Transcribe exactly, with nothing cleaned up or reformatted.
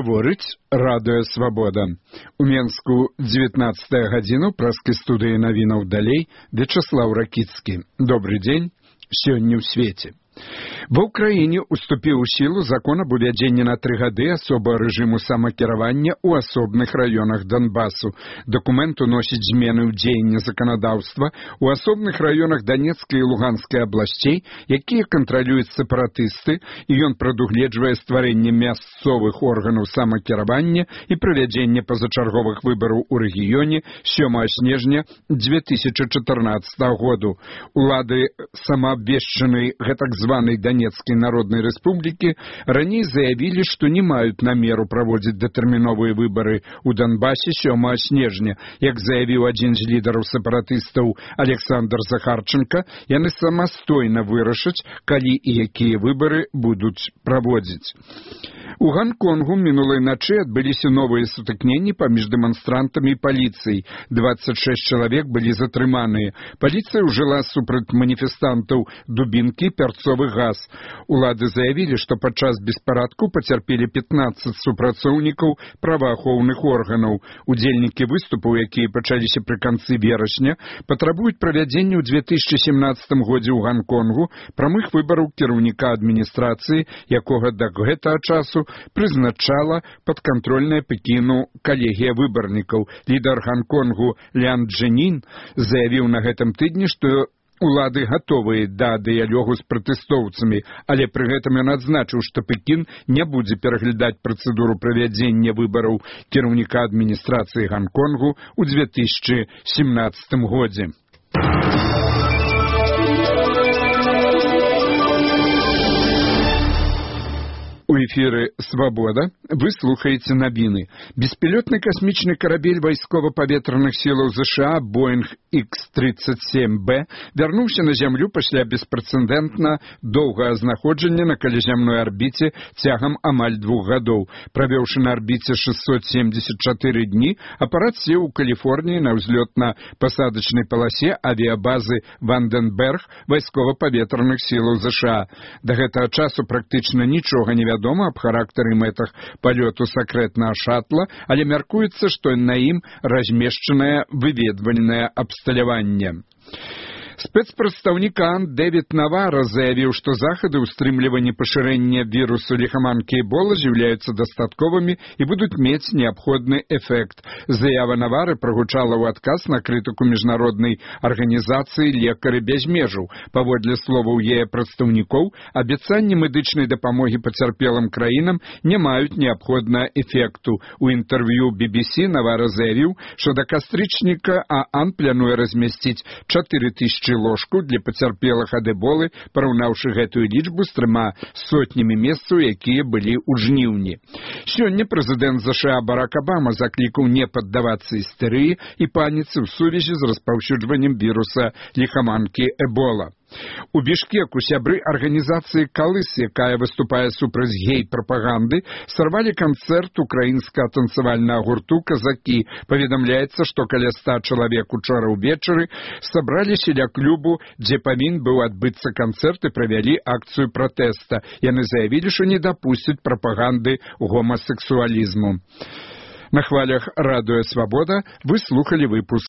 Гаворыць радыё Свабода. У Менску дзевятнаццатая гадзіну праскай студыі навінаў далей Вячаслаў Ракіцкі. Добры дзень, сёння ў свеце. Ва ўкраіне уступіў у сілу закон аб увядзенні на тры гады асобага рэжыму самакіравання ў асобных раёнах Донбасу. Дакумент уносіць змены ў дзеянне заканадаўства ў асобных раёнах Данецкай і Луганскай абласцей, якія кантралююць сепаратысты, і ён прадугледжвае стварэнне мясцовых органаў самакіравання і правядзенне пазачарговых выбараў у рэгіёне сёмага снежня дзве тысячы чатырнаццатага году. Улады самаабвешчанай гэтак званай Данецкай Народнай Рэспублікі раней заявілі, што не маюць намеру праводзіць датэрміновыя выбары ў Донбасе сёмага снежня. Як заявіў адзін з лідараў сепаратыстаў Александр Захарченко, яны самастойна вырашаць, калі і якія выбары будуць праводзіць. У Ганконгу мінулай начы адбыліся новыя сутыкненні паміж дэманстрантамі і паліцыяй. дваццаць шэсць чалавек былі затрыманыя. Паліцыя ўжыла супраць маніфестантаў дубінкі, пярцовы газ. Улады заявілі, што падчас беспарадку пацярпелі пятнаццаць супрацоўнікаў праваахоўных органаў. Удзельнікі выступаў, якія пачаліся пры канцы верасня, патрабуюць правядзення ў дзве тысячы сямнаццатым годзе ў Ганконгу прамых выбараў кіраўніка адміністрацыі, якога да гэтага часу прызначала падкантрольная Пекіну калегія выбарнікаў. Лідар Ганконгу Лян Чжэньмін заявіў на гэтым тыдні, што улады гатовыя да дыялогу з пратэстоўцамі, але пры гэтым ён адзначыў, што Пекін не будзе пераглядаць працэдуру правядзення выбараў кіраўніка адміністрацыі Ганконгу ў дзве тысячы сямнаццатым годзе. У эфіры «Свабода» вы слухаеце навіны. Беспілотны касмічны карабель вайскова-паветраных сілаў ЗША Боинг ікс тридцать семь бэ вярнуўся на зямлю пасля беспрэцэдэнтна доўгага знаходжання на калязямной арбіце цягам амаль двух гадоў. Правёўшы на арбіце шестьсот семьдесят четыре дні, апарат сеў у Каліфорніі на ўзлётна-пасадачнай паласе авіябазы Ванденберг вайскова-паветраных сілаў ЗША. Да гэтага часу практычна нічога не вядома аб характары мэтах палёту сакрэтнага шатла, але мяркуецца, што на ім размешчанае выведвальнае абсталяванне. Спецпрадстаўнік ААН Дэвід Навара заявіў, што захады ўстрымлівання пашырэння вірусу ліхаманкі Эбола з'яўляюцца дастатковымі і будуць мець неабходны эфект. Заява Навары прагучала ў адказ на крытыку міжнароднай арганізацыі «Лекары без межаў». Паводле словаў яе прадстаўнікоў, абяцанні медычнай дапамогі пацярпелым краінам не маюць неабходнага эфекту. У інтэрв'ю би би сі Навара заявіў, што да кастрычніка ААН плануе размясціць чатыры тысячы ложку для пацярпелых ад эболы, параўнаўшы гэтую лічбу з трыма сотнямі месцаў, якія былі ў жніўні. Сёння прэзідэнт ЗША Барак Абама заклікаў не паддавацца істэрыі і паніцы ў сувязі з распаўсюджваннем віруса ліхаманкі Эбола. У Бішкеку сябры арганізацыі «Калыс», якая выступае супраць гей-прапаганды, сарвалі канцэрт украінскага танцавальнага гурту «Казакі». Паведамляецца, што каля ста чалавек учора ўвечары сабраліся ля клубу, дзе павінен быў адбыцца канцэрт, і правялі акцыю пратэста. Яны заявілі, што не дапусцяць прапаганды гомасексуалізму. На хвалях радыё «Свабода» вы слухалі выпуск